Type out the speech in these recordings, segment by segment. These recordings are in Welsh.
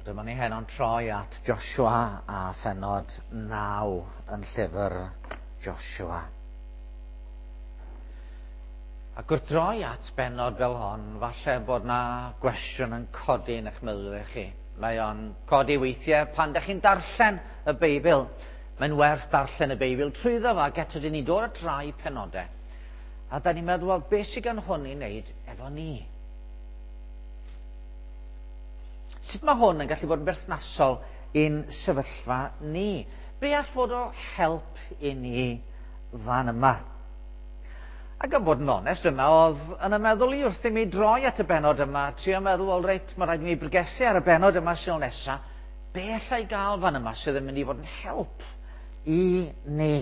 Dyma ni heno'n troi at Joshua a phenod 9 yn llyfr Joshua. Ac wrth droi at benod fel hon, falle bod na gwestiwn yn codi yn eich meddwl chi. Mae o'n codi weithiau pan ydych chi'n darllen y Beibl. Mae'n werth darllen y Beibl trwyddo fo, ac eto dyn ni'n dod at rai penodau. A da ni'n meddwl, wel, beth sydd gan hwn i wneud efo ni? Sut mae hwn yn gallu bod yn berthnasol i'n sefyllfa ni? Be all fod o help i ni fan yma? Ac am bod yn onest, dyna oedd yn y meddwl i wrth i mi droi at y benod yma, trio meddwl, wel reit, mae rhaid i mi bregethu ar y benod yma sy'n nesa, be allai gael fan yma sydd yn mynd i fod yn help i ni?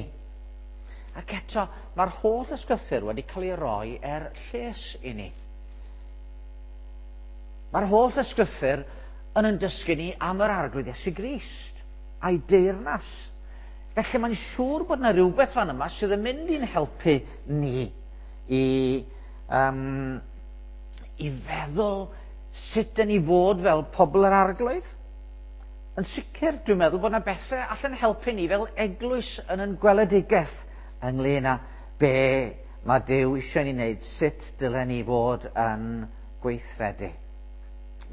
Ac eto, mae'r holl ysgrythur wedi cael ei roi er lles i ni. Mae'r holl ysgrythur yn yn dysgu ni am yr Arglwydd Iesu Grist a'i deyrnas. Felly mae'n siŵr bod yna rhywbeth fan yma sydd yn mynd i'n helpu ni i, um, i feddwl sut dyn ni fod fel pobl yr Arglwydd. Yn sicr, dwi'n meddwl bod yna bethau allan helpu ni fel eglwys yn yn gweledigaeth ynglyn â be mae Duw eisiau ni wneud, sut dylen ni fod yn gweithredu.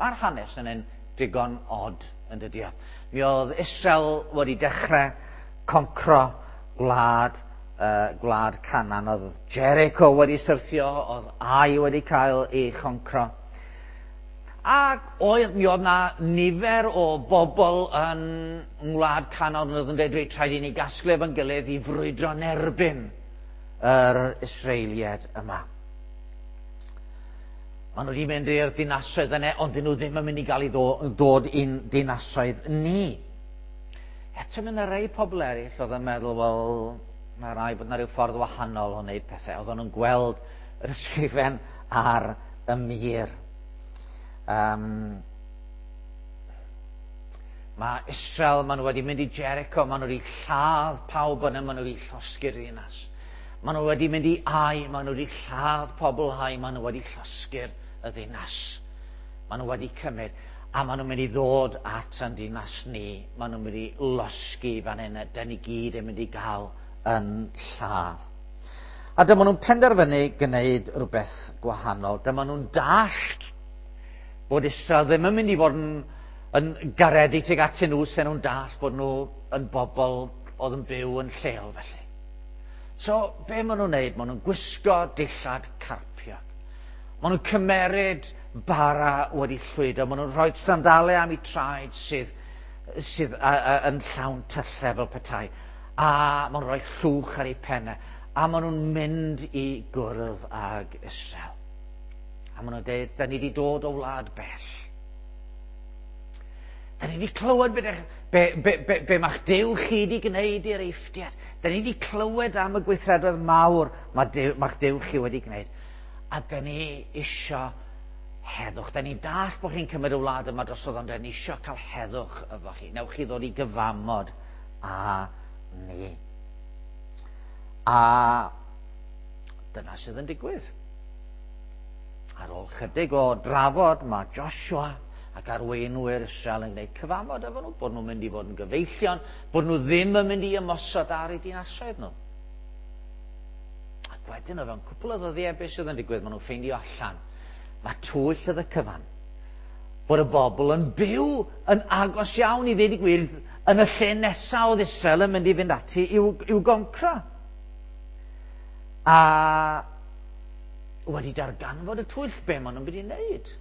Mae'r hanes yn un digon od yn dydy o. Mi oedd Israel wedi dechrau concro gwlad, uh, gwlad Canan. Oedd Jericho wedi syrthio, oedd Ai wedi cael ei choncro. Ac oedd, mi oedd na nifer o bobl yn ngwlad Canan oedd yn dweud, reit, rhaid i ni gasglu efo'n gilydd i frwydro yn erbyn yr Israeliaid yma. Maen nhw wedi mynd i'r dinasoedd yna, ond dyn nhw ddim yn mynd i gael ei dod i'n dinasoedd ni. Eto mae yna rei pobl eraill oedd yn meddwl, wel, mae rai bod yna rhyw ffordd wahanol o wneud pethau. Oedden nhw'n gweld yr ysgrifen ar y mur. Um, mae Israel, maen nhw wedi mynd i Jericho, maen nhw wedi lladd pawb yna, maen nhw wedi llosgi'r ddinas. Maen nhw wedi mynd i Ai, maen nhw wedi lladd pobl Ai, maen nhw wedi llosgi'r y ddinas. Maen nhw wedi cymryd, a maen nhw'n mynd i ddod at yn dinas ni. Maen nhw'n mynd i losgi fan hyn, a dyn ni gyd yn mynd i gael yn lladd. A dyma nhw'n penderfynu gwneud rhywbeth gwahanol. Dyma nhw'n dallt bod Israel ddim yn mynd i fod yn, yn garedig tuag atyn nhw, sen nhw'n dallt bod nhw yn bobl oedd yn byw yn lleol felly. So, be maen nhw'n wneud? Maen nhw'n gwisgo dillad carpiog. Maen nhw'n cymeryd bara wedi llwydo. Maen nhw'n rhoi sandalau am eu traed sydd, sydd a, a, yn llawn tyllau fel petai. A maen nhw'n rhoi llwch ar eu pennau. A maen nhw'n mynd i gwrdd ag Israel. A maen nhw'n dweud, da ni wedi dod o wlad bell. Da ni wedi clywed be, be, be, be, be mae'ch Duw chi wedi gwneud i'r Eifftiad. Da ni wedi clywed am y gweithredoedd mawr mae Duw, mae'ch Duw chi wedi gwneud. A da ni isio heddwch. Da ni'n dallt bod chi'n cymryd y wlad yma drosodd, ond da ni isio cael heddwch efo chi. Newch chi ddod i gyfamod a ni. A dyna sydd yn digwydd. Ar ôl chydig o drafod, mae Joshua ac arweinwyr Israel yn gwneud cyfamod efo nhw, bod nhw'n mynd i fod yn gyfeillion, bod nhw ddim yn mynd i ymosod ar eu dinasoedd nhw. Ac wedyn o fewn cwpl o ddyddiau beth sydd yn digwydd, maen nhw'n ffeindio allan. Mae twyll oedd y cyfan. Bod y bobl yn byw yn agos iawn i ddeud y gwir yn y lle nesaf oedd Israel yn mynd i fynd ati i'w, i'w goncro. A wedi darganfod y twyll, be maen nhw'n mynd i wneud?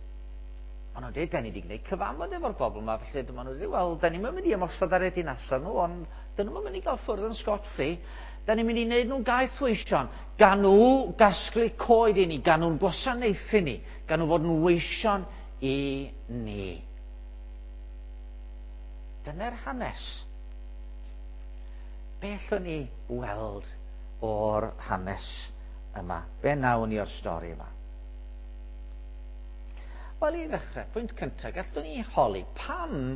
Maen nhw'n dweud, da ni wedi gwneud cyfamod efo'r bobl yma, felly dyma nhw'n dweud, wel, da ni'n mynd i ymosod ar eu dinasoedd nhw, ond dyn nhw'n mynd i gael ffwrdd yn scot free. Da ni'n mynd i wneud nhw'n gaeth weision. Gan nhw gasglu coed i ni, gan nhw'n gwasanaethu ni, gan nhw fod yn weision i ni. Dyna'r hanes. Beth o'n ni weld o'r hanes yma? Be nawn ni o'r stori yma? Wel, i ddechrau, pwynt cyntaf, gallwn ni holi pam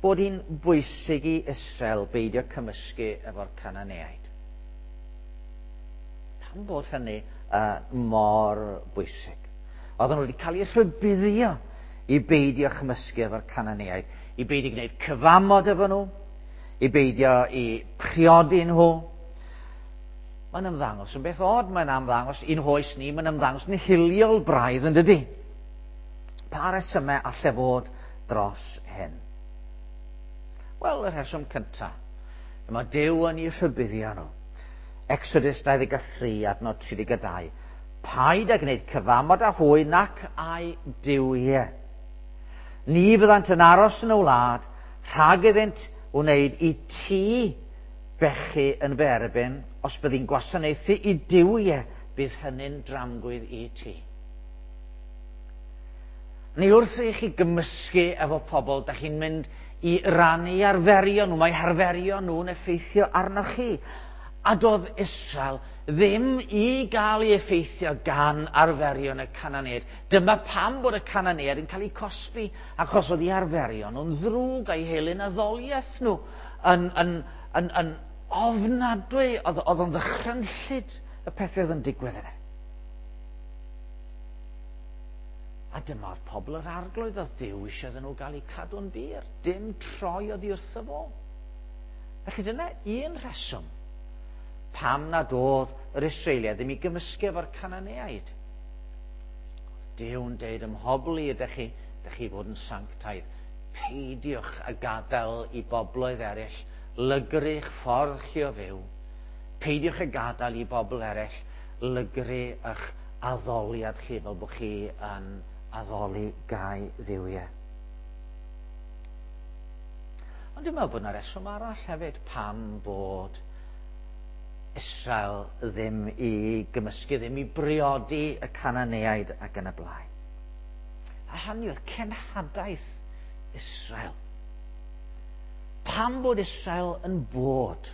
bod hi'n bwysig i Israel beidio cymysgu efo'r Cananeaid? Pam bod hynny uh, mor bwysig? Oedden nhw wedi cael eu rhybuddio i beidio chymysgu efo'r Cananeaid, I beidio gwneud cyfamod efo nhw, i beidio i priodi nhw. Mae'n ymddangos yn beth od, mae'n ymddangos i'n hoes ni, mae'n ymddangos yn hiliol braidd yn dydy. Pa resymau alle fod dros hyn? Wel, y rheswm cyntaf, mae Duw yn eu rhybuddio nhw. Exodus 23, adnod 32. Paid â gwneud cyfamod â hwy nac â'u duwiau. Ni fyddant yn aros yn y wlad rhag iddynt wneud i ti bechu yn fy erbyn, os byddi'n gwasanaethu i duwiau, bydd hynny'n dramgwydd i ti. Neu wrth i chi gymysgu efo pobl, da chi'n mynd i rannu arferion nhw, mae harferion nhw'n effeithio arnoch chi. A doedd Israel ddim i gael ei effeithio gan arferion y Cananeaid. Dyma pam bod y Cananeaid yn cael eu cosbi, achos oedd eu arferion nhw'n ddrwg a'i helyn addoliaeth nhw yn, yn, yn, yn ofnadwy, oedd, oedd o'n ddychrynllyd y pethau oedd yn digwydd yna. A dyma oedd pobl yr arglwydd, oedd Duw eisiau iddyn nhw gael eu cadw'n bur, dim troi oddi wrtho fo. Felly dyna un rheswm pam nad oedd yr Israeliaid ddim i gymysgu efo'r Cananeaid. Oedd Duw'n deud ym mhobl i ydych chi, ydych chi fod yn sanctaidd. Peidiwch a gadael i bobloedd eraill lygru'ch ffordd chi o fyw. Peidiwch a gadael i bobl eraill lygru eich addoliad chi fel bod chi yn addoli gau dduwiau. Ond dwi'n meddwl bod yna reswm arall hefyd pam bod Israel ddim i gymysgu, ddim i briodi y Cananeaid ac yn y blaen. A hynny oedd cenhadaeth Israel. Pam bod Israel yn bod?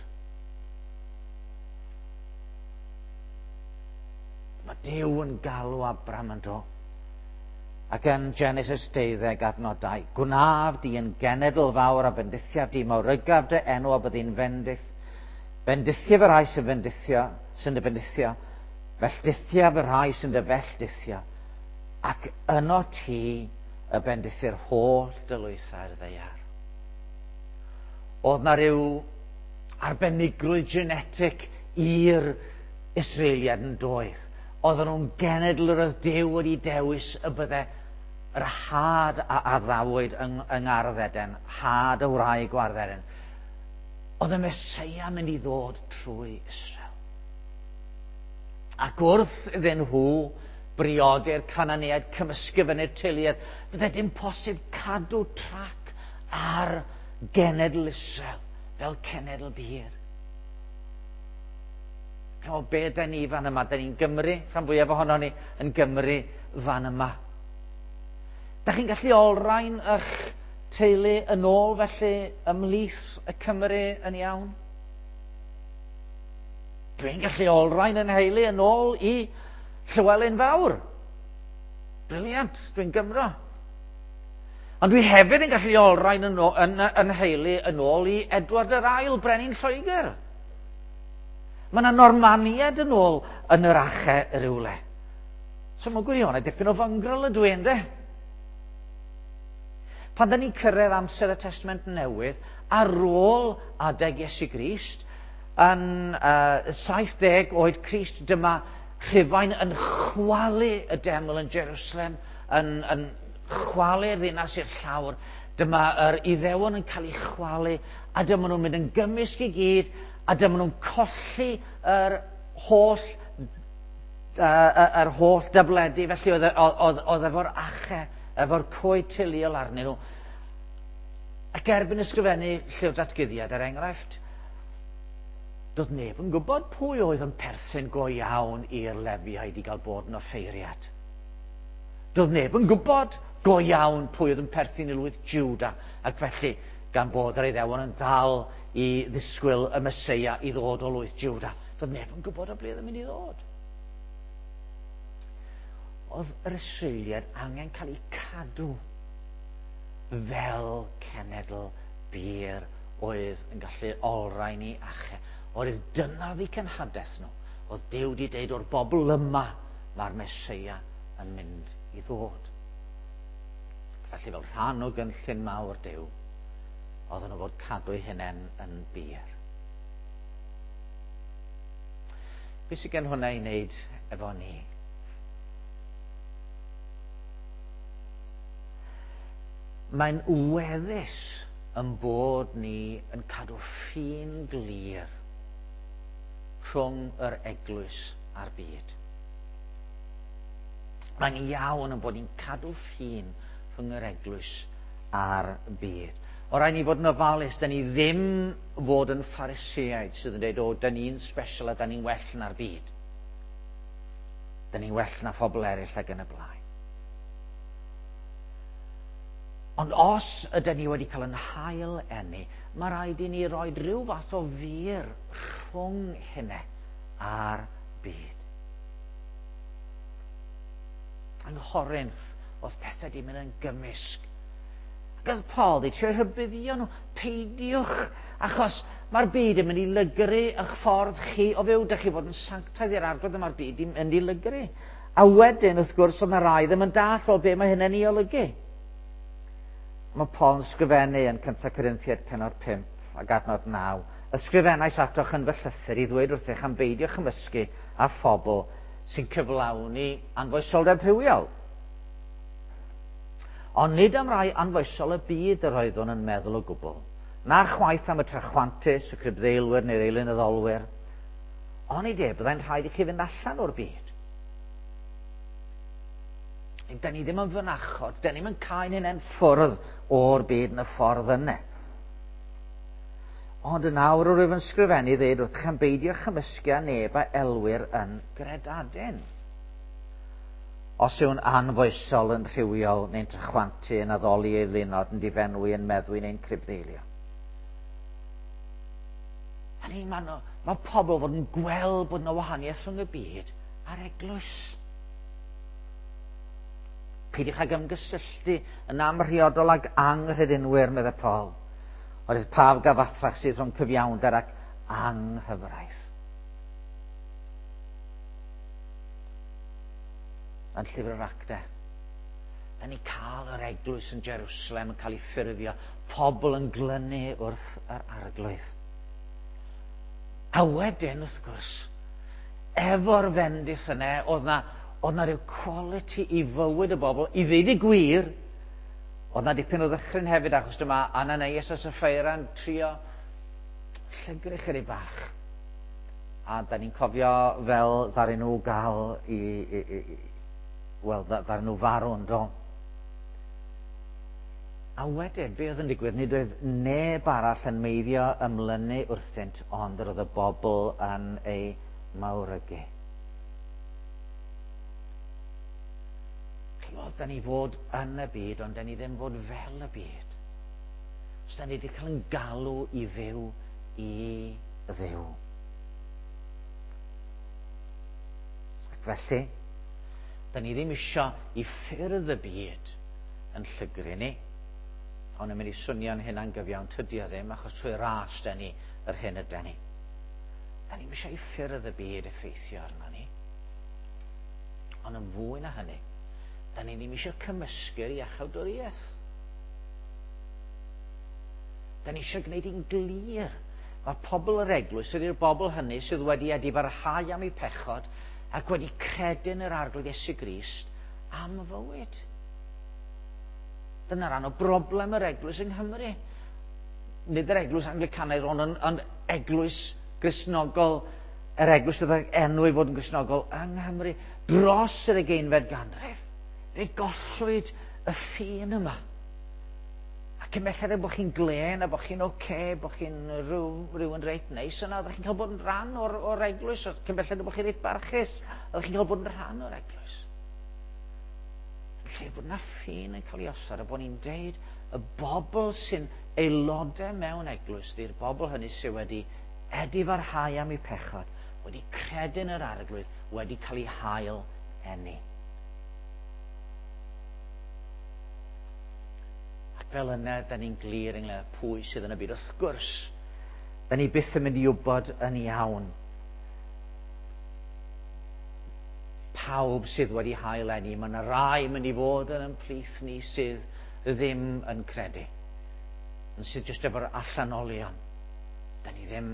Mae Duw yn galw Abram yn do. Ac yn Genesis 12 adnod 2, Gwnaf di yn genedl fawr a bendithiaf di, mawrygaf dy enw a byddi'n fendith. Bendithiaf y rhai sy'n fendithio, sy'n dy bendithio, felldithiaf y rhai sy'n dy felldithio, ac yno ti y bendithir holl dylwythau'r ddaear. Oedd na rhyw arbenigrwydd genetic i'r Israeliad yn doedd. Oedden nhw'n genedl yr oedd Duw wedi dewis y bydde yr had a addawyd yng, yng Ngardd Eden, had y wraig o Ardd Eden. Oedd y Meseia mynd i ddod trwy Israel. Ac wrth iddyn nhw briodi'r Cananeaid cymysgu fyny'r teuluoedd, fydde dim posib cadw trac ar genedl Israel fel cenedl bur. Chimod, be da ni fan yma? Da ni'n Gymru, rhan fwyaf ohono ni yn Gymru fan yma. Da chi'n gallu olrhain eich teulu yn ôl felly ymhlith y Cymru yn iawn? Dwi'n gallu olrhain yn heulu yn ôl i Llywelyn Fawr. Briliant, dwi'n Gymro. Ond dwi hefyd yn gallu olrhain yn, yn, yn heulu yn ôl i Edward yr Ail, Brenin Lloegr. Mae yna Normaniad yn ôl yn yr ache rywle. So mae'n gwirionedd dipyn o fyngrol ydw i, ynddo? Pan da ni'n cyrraedd amser y Testament Newydd, ar ôl adeg Iesu Grist, yn uh, 70 oed Crist, dyma Rhufain yn chwalu y deml yn Jerusalem, yn, yn chwalu'r ddinas i'r llawr. Dyma yr Iddewon yn cael eu chwalu, a dyma nhw'n mynd yn gymysg i gyd, a dyma nhw'n colli yr holl yr holl dabledi, felly oedd, oedd, oedd efo'r ache, efo'r coed teuluol arnyn nhw. Ac erbyn ysgrifennu llyfr datguddiad, er enghraifft, doedd neb yn gwybod pwy oedd yn perthyn go iawn i'r Lefiaid i gael bod yn offeiriad. Doedd neb yn gwybod go iawn pwy oedd yn perthyn i lwyth Juda, ac felly, gan bod yr Iddewon yn dal i ddisgwyl y Meseia i ddod o lwyth Juda, doedd neb yn gwybod o ble oedd yn mynd i ddod. Oedd yr Israeliaid angen cael eu cadw fel cenedl bur oedd yn gallu olrhain i ache. Oedd dyna oedd eu cenhadaeth nhw. Oedd Duw wedi deud o'r bobl yma mae'r Meseia yn mynd i ddod. Felly fel rhan o gynllun mawr Duw, Oedden nhw fod cadw eu hunain yn bur. Be sydd gen hwnna i wneud efo ni? Mae'n weddus yn bod ni yn cadw ffin glir rhwng yr eglwys a'r byd. Mae'n iawn yn bod ni'n cadw ffin rhwng yr eglwys a'r byd. O rhaid ni fod yn ofalus, da ni ddim fod yn Phariseaid sydd yn dweud, o, da ni'n special a da ni'n well na'r byd. Da ni'n well na phobl eraill ac yn y blaen. Ond os ydyn ni wedi cael yn hail enni, mae rhaid i ni roi rhyw fath o fur rhwng hynny a'r byd. Yng Nghorinth, oedd pethau di mynd yn gymysg. Ac oedd Paul di trio rhybuddio nhw, peidiwch, achos mae'r byd yn mynd i lygru eich ffordd chi o fyw. Dych chi fod yn sanctaidd i'r Arglwydd, mae'r byd yn mynd i lygru. A wedyn, wrth gwrs, oedd yna rai ddim yn dall o be mae hynny'n ei olygu. Mae Paul yn sgrifennu yn 1 Corinthiaid pennod 5 ac adnod 9. Ysgrifennais atoch yn fy llythyr i ddweud wrthych am beidio chymysgu â phobl sy'n cyflawni anfoesoldeb rhywiol. Ond nid am rai anfoesol y byd yr oeddwn yn meddwl o gwbl, na chwaith am y trachwantus, y cribddeilwyr neu'r eilunyddolwyr. Onid e, byddai'n rhaid i chi fynd allan o'r byd. Da ni ddim yn fynachod, da ni'm yn cael hynny'n ffwrdd o'r byd yn y ffordd yna. Ond yn awr rwyf yn sgrifennu ddeud wrthych am beidio chymysgu â neb a elwir yn gredadun. Os yw'n anfoesol, yn rhywiol, neu'n trachwantu, yn addoli ei flinod, yn difenwi, yn meddwi neu'n cribddeilio. Hynny, mae, mae pobl fod yn gweld bod yna wahaniaeth rhwng y byd a'r eglwys. Peidiwch ag ymgysylltu yn amrhiodol ag anghredinwyr, meddai Paul. Oherwydd pa gyfathrach sydd rhwng cyfiawnder ac anghyfraith. Yn llyfr yr Actau, da ni cael yr eglwys yn Jerusalem yn cael ei ffurfio, pobl yn glynu wrth yr Arglwydd. A wedyn, wrth gwrs, efo'r fendith yna, oedd na, oedd na rhyw quality i fywyd y bobl, i ddeud y gwir, oedd na dipyn o ddychryn hefyd, achos dyma Ananias a Sapphira yn trio llygru chydig bach. A da ni'n cofio fel ddaru nhw gael i, i, i, wel, ddaru nhw farw yn do. A wedyn, be oedd yn digwydd? Nid oedd neb arall yn meiddio ymlynu wrthynt, ond yr oedd y bobl yn ei mawrygu. Chimod, da ni fod yn y byd, ond da ni ddim fod fel y byd. Os da ni wedi cael yn galw i fyw i Dduw. Ac felly, da ni ddim isio i ffyrdd y byd yn llygru ni. Ond yn mynd i swnio'n hynna'n gyfiawn, tydi o ddim, achos trwy ras da ni yr hyn yda ni. Da ni'n eisiau i ffyrdd y byd effeithio arno ni. Ond yn fwy na hynny, da ni ddim eisiau cymysgu'r iachawdwriaeth. Da ni eisiau gwneud hi'n glir. Mae pobl yr eglwys ydy'r bobl hynny sydd wedi edifarhau am eu pechod ac wedi credu yn yr Arglwydd Iesu Grist am fywyd. Dyna rhan o broblem yr eglwys yng Nghymru. Nid yr eglwys Anglicanaidd, ond yn, yn eglwys Gristnogol, yr eglwys sydd ag enw i fod yn Gristnogol yng Nghymru dros yr ugeinfed ganrif. Fe gollwyd y ffin yma. A cyn belled bod chi'n glên a bod chi'n oce, okay, bod chi'n rhyw, rhywun reit neis yna, oeddech chi'n cael bod yn rhan o'r, or eglwys, cyn belled bod chi'n reit barchus, oeddech chi'n cael bod yn rhan o'r eglwys. Yn lle bod yna ffin yn cael ei osod a bod ni'n deud y bobl sy'n aelodau mewn eglwys, di'r bobl hynny sydd wedi edifarhau am eu pechod, wedi credu yn yr Arglwydd, wedi cael eu hail eni. Ac fel yna, da ni'n glir ynglyn â pwy sydd yn y byd. Wrth gwrs, da ni byth yn mynd i wybod yn iawn pawb sydd wedi hail eni. Mae yna rai mynd i fod yn ymplith ni sydd ddim yn credu. yn sydd jyst efo'r allanolion. Da ni ddim,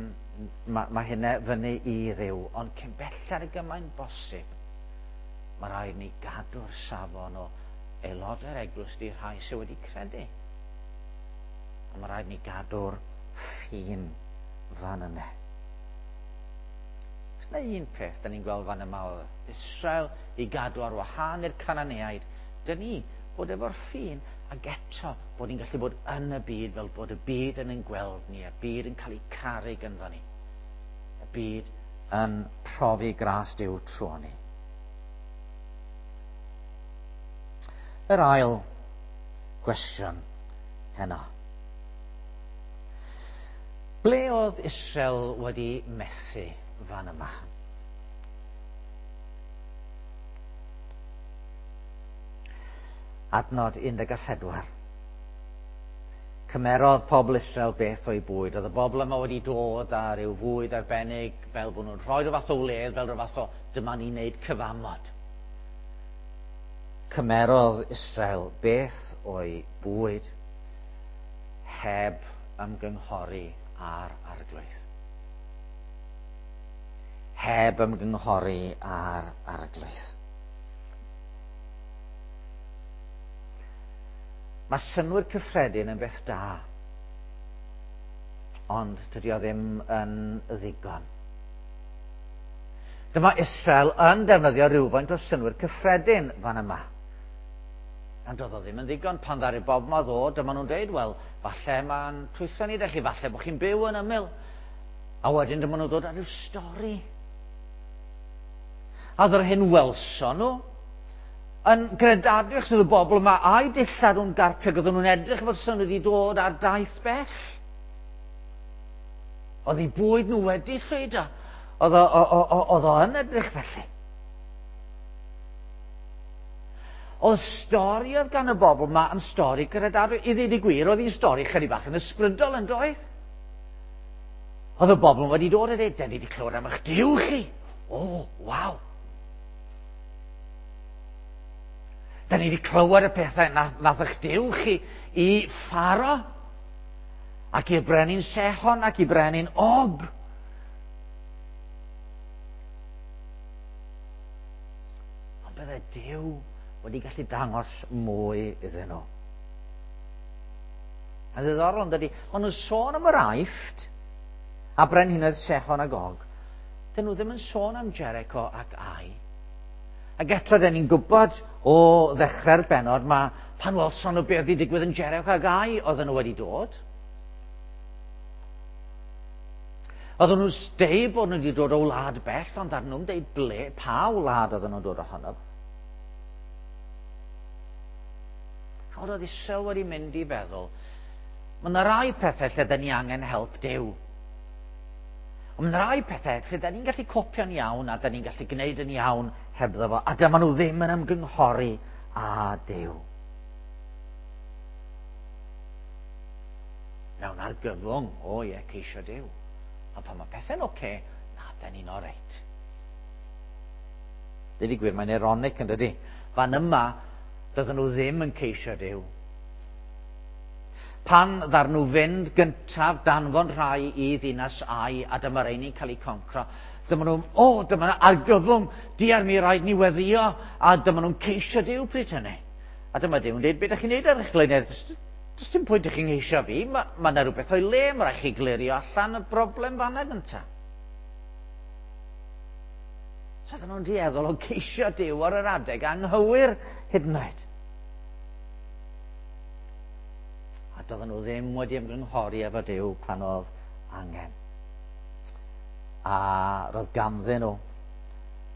mae ma hynna fyny i Dduw, ond cyn belled y gymaint bosib, mae rhaid ni gadw'r safon o aelodau'r eglwys di rhai sydd wedi credu. A mae rhaid ni gadw'r ffin fan yna. Os yna un peth da ni'n gweld fan yma o Israel i gadw ar wahân i'r Cananeaid, dyn ni bod efo'r ffin ac eto bod ni'n gallu bod yn y byd fel bod y byd yn ein gweld ni, y byd yn cael ei caru gynddo ni. Y byd yn profi gras Duw trwy ni. Yr ail gwestiwn heno. Ble oedd Israel wedi methu fan yma? Adnod 14. Cymerodd pobl Israel beth o'i bwyd. Oedd y bobl yma wedi dod â rhyw fwyd arbennig fel bod nhw'n rhoi rhyw fath o wledd, fel rhyw fath o dyma ni'n neud cyfamod. Cymerodd Israel beth o'i bwyd heb ymgynghori â'r arglwydd. Heb ymgynghori â'r arglwydd. Mae synnwyr cyffredin yn beth da, ond dydy o ddim yn ddigon. Dyma Israel yn defnyddio rhywfaint o synnwyr cyffredin fan yma. Ond doedd o ddim yn ddigon pan ddaru bob ma ddod, dyma nhw'n dweud, wel, falle mae'n twyllo ni, chi, falle bod chi'n byw yn ymyl. A wedyn dyma nhw'n dod â rhyw stori. A oedd yr hyn welson nhw yn gredadwy achos oedd y bobl yma a'i dillad nhw'n garpiog, oedden nhw'n edrych fel sy'n wedi dod ar daith bell. Oedd eu bwyd nhw wedi llwydo. Oedd o, oedd o yn edrych felly. Oedd stori oedd gan y bobl yma yn stori gredadwy. I ddweud y gwir, oedd hi'n stori chydig bach yn ysbrydol yn doedd? Oedd y bobl wedi dod a dweud, den ni wedi clywed am eich Duw chi. O, oh, waw. Da ni wedi clywed y pethau nath, nath eich Duw chi i Pharo ac i'r brenin Sehon ac i brenin Og. Ond bydde Duw wedi gallu dangos mwy iddyn nhw. A ddiddorol yn dydy, maen nhw'n sôn am yr Aifft a brenhinoedd Sehon ac Og. Dyn nhw ddim yn sôn am Jericho ac Ai. Ac eto, dyn ni'n gwybod o ddechrau'r bennod, mae pan welson nhw beth wedi digwydd yn Jericho ac Ai, oedden nhw wedi dod. Oedden nhw'n deud bod nhw wedi dod o wlad bell, ond ar nhw'n deud ble, pa wlad oedden nhw'n dod ohono. Chod oedd Israel wedi mynd i feddwl, mae yna rai pethau lle dyn ni angen help Duw. Ond mae yna rai pethau lle dyn ni'n gallu copio'n iawn a dyn ni'n gallu gwneud yn iawn hebddo fo. A dyma nhw ddim yn ymgynghori â Duw. Mewn argyfwng, o ie, ceisio Duw. Ond pan mae pethau'n oce, okay, na, dyn ni'n oreit. Dweud y gwir, mae'n ironic yn dydy. Fan yma, Doedden nhw ddim yn ceisio Duw. Pan ddar nhw fynd gyntaf danfon rhai i ddinas Ai a dyma rheini'n cael eu concro, dyma nhw'n, o, oh, dyma argyfwng, diar mi rhaid ni weddio, a dyma nhw'n ceisio Duw pryd hynny. A dyma Duw'n dweud, beth ydych chi'n neud ar eich blaenau? Does dim pwynt i chi'n ngeisio fi, mae ma yna rhywbeth o'i le, mae rhaid chi glirio allan y broblem fanna gyntaf. So oedden nhw'n dueddol o geisio Duw ar yr adeg anghywir hyd yn oed. A doedden nhw ddim wedi ymgynghori efo Duw pan oedd angen. A roedd ganddyn nhw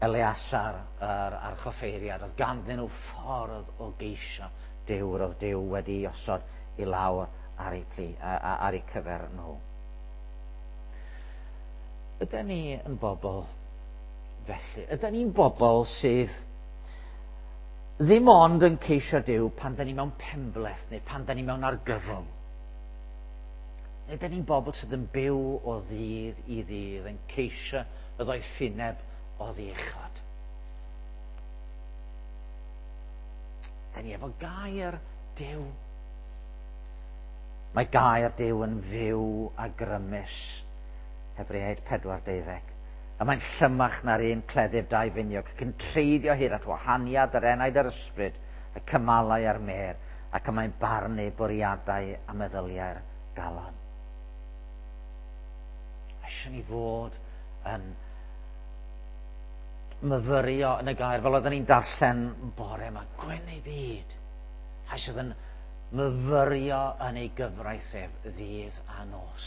Eleasar, yr archoffeiriad, oedd ganddyn nhw ffordd o geisio Duw, roedd Duw wedi osod i lawr ar eu, plu, ar eu cyfer nhw. Ydyn ni yn bobl felly? Ydyn ni'n bobl sydd ddim ond yn ceisio Duw pan dyn ni mewn penbleth neu pan dyn ni mewn argyfwng? Neu ydyn ni'n bobl sydd yn byw o ddydd i ddydd yn ceisio y ddoethineb o ddiechod? Dyn ni efo gair Duw. Mae gair Duw yn fyw a grymus. Hebreaid 4:12. A mae'n llymach na'r un cleddyf daufiniog, ac yn treiddio hyd at wahaniad yr enaid a'r ysbryd, y cymalau a'r mêr, ac y mae'n barnu bwriadau a meddyliau'r galon. Eisiau ni fod yn myfyrio yn y gair, fel oedden ni'n darllen bore yma, gwyn ei byd. Rhai sydd yn myfyrio yn ei gyfraith ef ddydd a nos.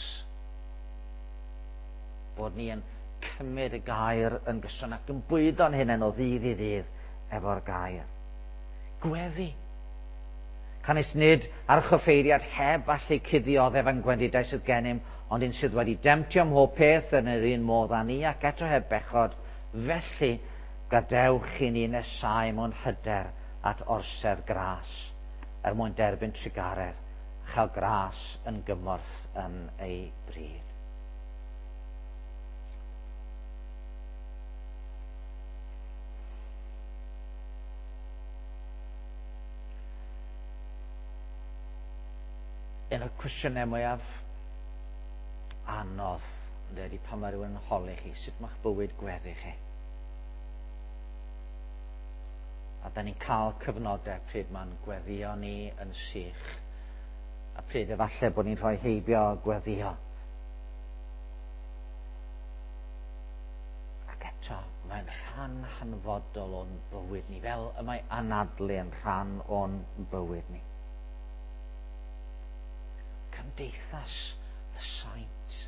Bod ni yn cymryd y gair yn gyson ac yn bwydo'n hunain o ddydd i ddydd efo'r gair. Gweddi. Canys nid archoffeiriad heb allu cuddio oddef ein gwendidau sydd gennym, ond un sydd wedi demtio mhob peth yn yr un modd â ni ac eto heb bechod, felly gadewch i ni nesáu mewn hyder at orsedd gras, er mwyn derbyn trugaredd, a chael gras yn gymorth yn ei bryd. Un o'r cwestiynau mwyaf anodd, ynde, ydy pan mae rhywun yn holi chi, sut mae'ch bywyd gweddi chi? A da ni'n cael cyfnodau pryd mae'n gweddio ni yn sych, a pryd efallai bod ni'n rhoi heibio gweddio. Ac eto, mae'n rhan hanfodol o'n bywyd ni, fel y mae anadlu yn rhan o'n bywyd ni. Cymdeithas y saint.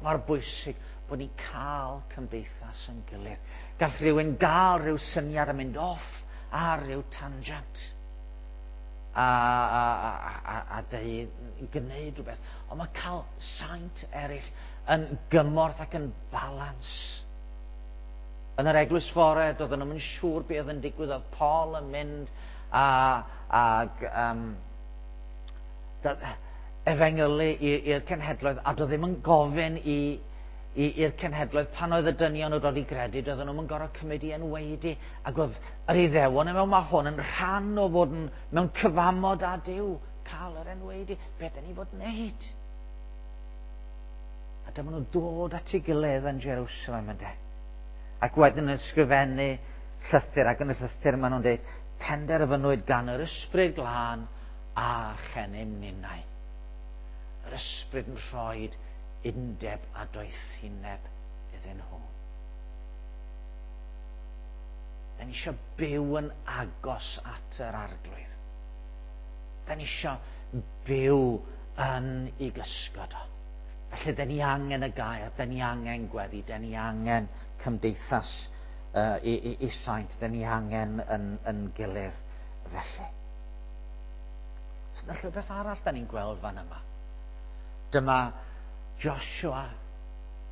Mor bwysig bod ni'n cael cymdeithas yn gilydd. Gall rhywun gael rhyw syniad a mynd off ar ryw tangent a dweud, gwneud rhywbeth. Ond mae cael saint eraill yn gymorth ac yn balans. Yn yr eglwys fore, doedden nhw'n siŵr beth oedd yn digwydd. Oedd Paul yn mynd ag efengylu i'r cenhedloedd, a doedd ddim yn gofyn i'r cenhedloedd pan oedd y dynion yn dod i gredu, doedden nhw'n gorfod cymryd i enwaedu, ac oedd yr Iddewon yn meddwl, mae hwn yn rhan o fod yn, mewn cyfamod â Duw, cael yr enwaedu, beth dyn ni fod wneud? A dyma nhw'n dod at ei gilydd yn Jerusalem, ynde. Ac wedyn yn ysgrifennu llythyr, ac yn y llythyr maen nhw'n dweud, penderfynwyd gan yr Ysbryd Glân a chennym ninnau. Yr Ysbryd yn rhoi undeb a doethineb iddyn nhw. Da ni eisiau byw yn agos at yr Arglwydd. Da ni eisiau byw yn ei gysgod o. Felly, da ni angen y gair, da ni angen gweddi, da ni angen cymdeithas i saint, da ni angen yn gilydd felly. Oes yna rhywbeth arall da ni'n gweld fan yma? Dyma Joshua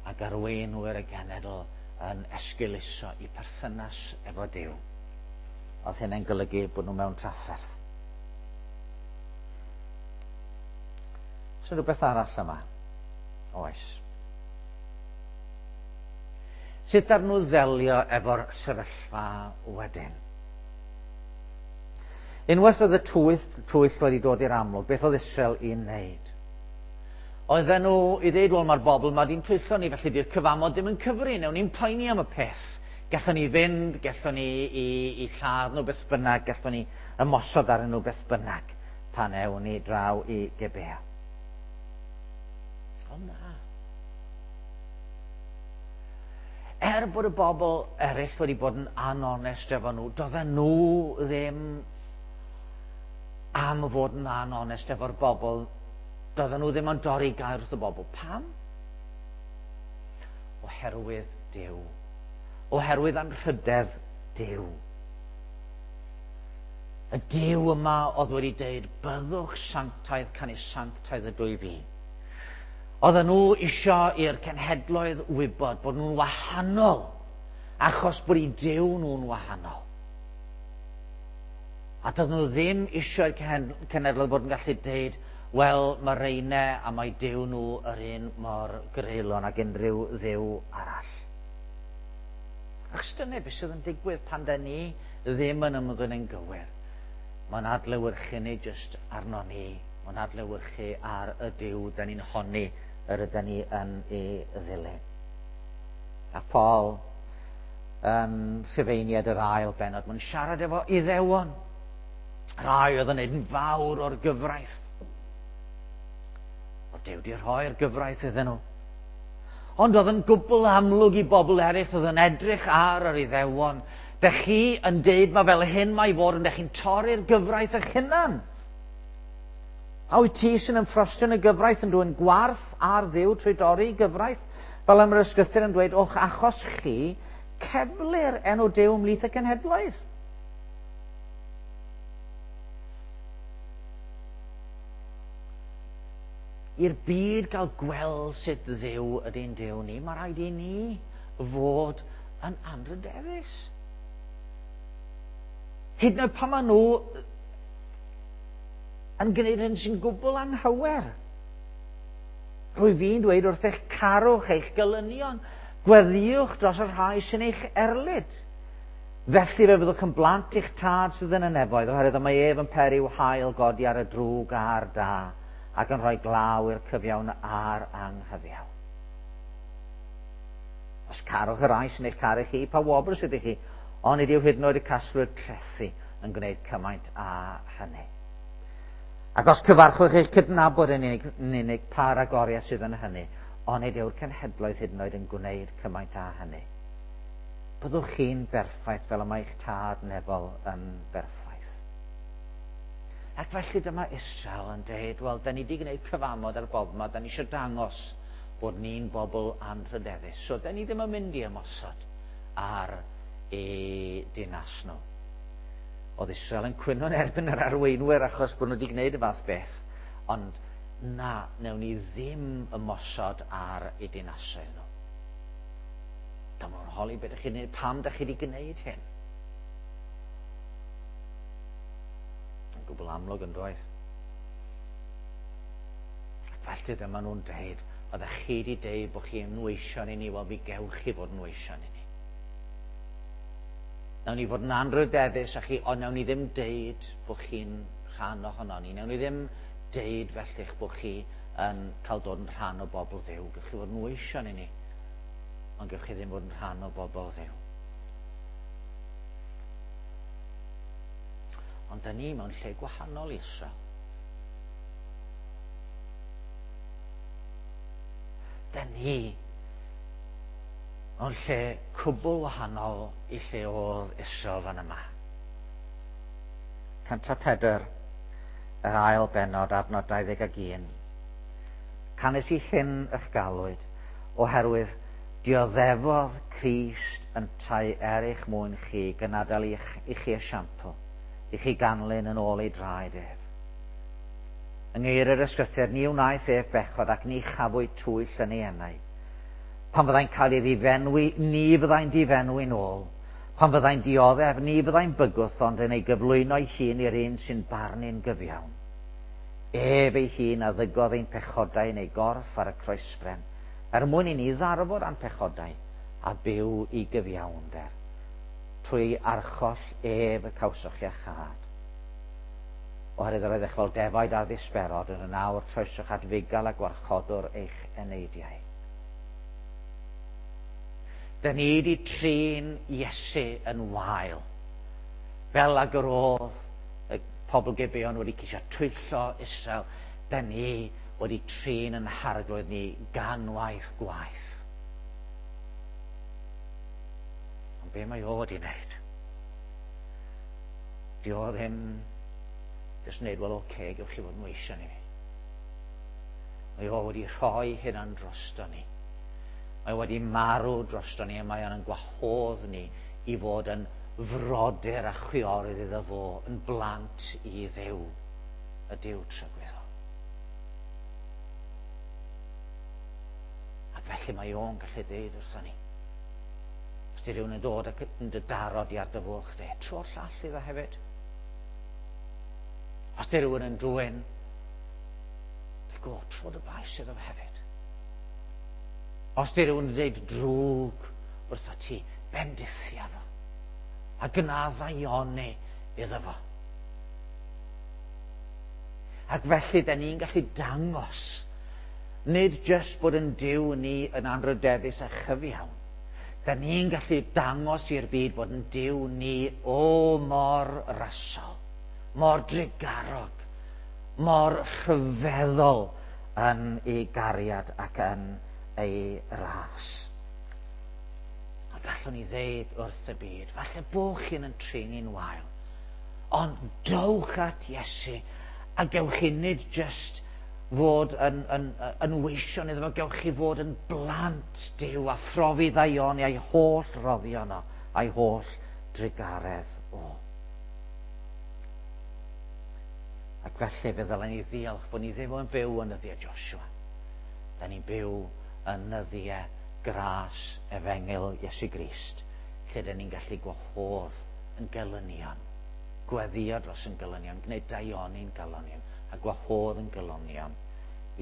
ac arweinwyr y genedl yn esgeuluso i perthynas efo Duw. Oedd hynny'n golygu bod nhw mewn trafferth. Oes yna rhywbeth arall yma? Oes. Sut ar nhw ddelio efo'r sefyllfa wedyn? Unwaith oedd y twyll wedi dod i'r amlwg, beth oedd Israel i wneud? Oedden nhw i ddeud, wel, mae'r bobl yma di'n twyllo ni, felly di'r cyfamod ddim yn cyfri, newn ni'n poeni am y peth. Gallwn ni fynd, gallwn ni i lladd nhw beth bynnag, gallwn ni ymosod arnyn nhw beth bynnag pan ewn ni draw i Gibea. O na. Er bod y bobl eraill wedi bod yn anonest efo nhw, doedden nhw ddim am fod yn anonest efo'r bobl. Doedden nhw ddim yn dorri gair wrth y bobl. Pam? Oherwydd Duw. Oherwydd anrhydedd Duw. Y Duw yma oedd wedi dweud, byddwch sanctaidd, canys sanctaidd ydw i fi. Oedden nhw isio i'r cenhedloedd wybod bod nhw'n wahanol, achos bod eu Duw nhw'n wahanol. A doedden nhw ddim isio i'r cenhedloedd bod yn gallu deud, wel, mae reine a mae Duw nhw yr un mor greulon ag unrhyw dduw arall. Achos dyna beth sydd yn digwydd pan da ni ddim yn ymddwyn yn gywir. Mae'n adlewyrchu nid jyst arno ni, mae'n adlewyrchu ar y Duw da ni'n honni yr ydyn ni yn ei ddilyn. A Paul yn Rhufeiniaid yr ail bennod, mae'n siarad efo Iddewon. Rai oedd yn neud yn fawr o'r gyfraith. Oedd Duw wedi rhoi'r gyfraith iddyn nhw. Ond oedd yn gwbl amlwg i bobl eraill oedd yn edrych ar yr Iddewon. Dych chi yn deud mae fel hyn mae i fod, ond dych chi'n torri'r gyfraith eich hunan. A wyt ti sy'n ymffrostio yn y gyfraith yn dwyn gwarth ar Dduw trwy dorri gyfraith? Fel am yr ysgrythur yn dweud, o'ch achos chi, ceblir enw Duw ymhlith y cenhedloedd. I'r byd gael gweld sut Dduw ydy'n Duw ni, mae rhaid i ni fod yn anrhydeddus. Hyd yn oed pan maen nhw yn gwneud hyn sy'n gwbl anghywir. Rwy fi'n dweud wrth eich carwch, eich gelynion, gweddïwch dros y rhai sy'n eich erlid. Felly fe fyddwch yn blant i'ch tad sydd yn y nefoedd, oherwydd y mae ef yn peri i'w haul godi ar y drwg a'r da, ac yn rhoi glaw i'r cyfiawn a'r anghyfiawn. Os carwch y rhai sy'n eich caru chi, pa wobr sydd i chi? Ond nid yw hyd yn oed y casglwyr trethi yn gwneud cymaint â hynny. Ac os cyfarchwch eich cydnabod yn unig, yn unig pa ragoriaeth sydd yn hynny, ond nid yw'r cenhedloedd hyd yn oed yn gwneud cymaint â hynny. Byddwch chi'n berffaith fel y mae eich tad nefol yn berffaith. Ac felly dyma Israel yn dweud, wel, da ni wedi gwneud cyfamod ar bob yma, da ni eisiau dangos bod ni'n bobl anrhydeddus. So, da ni ddim yn mynd i ymosod ar eu dinas nhw. Oedd Israel yn cwyno yn erbyn yr arweinwyr achos bod nhw wedi gwneud y fath beth. Ond na, newn ni ddim ymosod ar eu dinasoedd nhw. Dyma nhw'n holi beth ydych chi'n gwneud, pam ydych chi wedi gwneud hyn? Yn gwbl amlwg yn doedd. Ac felly dyma nhw'n deud, oeddech chi wedi deud bod chi yn weision i ni, wel mi gewch chi fod yn weision i ni. Nawn ni fod yn anrhydeddus â chi, ond nawn ni ddim deud bod chi'n rhan ohono ni. Nawn ni ddim deud felly'ch bod chi yn cael dod yn rhan o bobl Dduw. Gewch chi fod yn weision i ni, ond gewch chi ddim fod yn rhan o bobl Dduw. Ond da ni mewn lle gwahanol i Israel. Da ni mewn lle cwbl wahanol i lle oedd Israel fan yma. 104, yr ail bennod, adnod 21. Canys i hyn y'ch galwyd, oherwydd dioddefodd Crist yntau er eich mwyn chi, gan adael i chi esiampl, i chi ganlyn yn ôl ei draed ef. Yng ngeiriau'r yr ysgrythur, ni wnaeth ef bechod ac ni chafwyd twyll yn ei enau. Pan fyddai'n cael ei ddifenwi, ni fyddai'n difenwi'n ôl. Pan fyddai'n dioddef, ni fyddai'n bygwth, ond yn ei gyflwyno ei hun i'r un sy'n barnu'n gyfiawn. Ef ei hun a ddygodd ein pechodau yn ei gorff ar y croesbren, er mwyn i ni ddarfod â'n pechodau a byw i gyfiawnder. Trwy ei archoll ef y cawsoch iachâd. Oherwydd yr oeddech fel defaid ar ddisberod, ond yn awr troesoch at fugail a gwarchodwr eich eneidiau. Dyn ni wedi trin Iesu yn wael, fel ag yr oedd y pobl Gibeon wedi ceisio twyllo Israel, dyn ni wedi trin yn harglwydd ni ganwaith gwaith. Ond be mae o wedi wneud? Di o ddim jyst wneud, wel oce, okay, gewch chi fod yn weision i fi. Mae o wedi rhoi hynna'n drosto ni. Mae wedi marw drosto ni a mae o'n gwahodd ni i fod yn frodyr a chwiorydd iddo fo, yn blant i Dduw, y Duw tragwyddol. Ac felly mae o'n gallu dweud wrthon ni. Os di rhywun yn dod ac yn dy daro di ar dy fwlch de, tro'r llall iddo hefyd. Os di rhywun yn dwyn, dy go, tro dy bais iddo fe hefyd. Os di rhywun yn dweud drwg wrtho ti, bendithia fo. A gwna ddaioni iddo fo. Ac felly, da ni'n gallu dangos, nid jyst bod yn Duw ni yn anrydeddus a chyfiawn. Da ni'n gallu dangos i'r byd bod yn Duw ni o mor rasol, mor drugarog, mor rhyfeddol yn ei gariad ac yn ei ras. A gallwn ni ddeud wrth y byd, falle bo chi'n yn trin ni'n wael, ond dowch at Iesu a gewch chi nid jyst fod yn, yn, yn weision iddo fo, gewch chi fod yn blant Duw a phrofi ddaioni a'i holl roddion o, a'i holl drugaredd o. Ac felly fe ddylen ni ddiolch bod ni ddim yn byw yn nyddiau Joshua. Da ni'n byw yn nyddiau gras efengyl Iesu Grist, lle da ni'n gallu gwahodd yn gelynion, gweddio dros yn gelynion, gwneud daioni'n gelynion, a gwahodd yn gelynion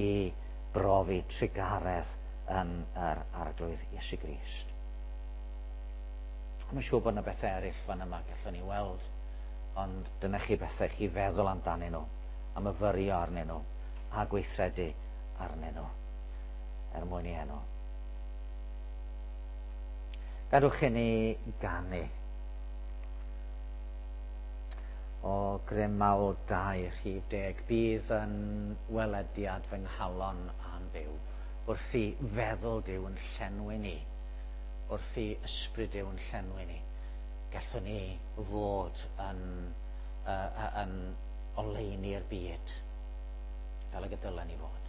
i brofi trugaredd yn yr Arglwydd Iesu Grist. Mae'n siŵr bod yna bethau eraill fan yma gallwn ni weld, ond dyna chi bethau chi feddwl amdanyn nhw, a myfyrio arnyn nhw, a gweithredu arnyn nhw, er mwyn i enw. Gadwch i ni ganu. O grym mawl 2 rhif 10, bydd yn welediad fy nghalon a'n byw, wrth i feddwl Duw yn llenwi ni, wrth i ysbryd Duw yn llenwi ni, gallwn ni fod yn, uh, yn oleuni'r byd, fel y dylen ni fod.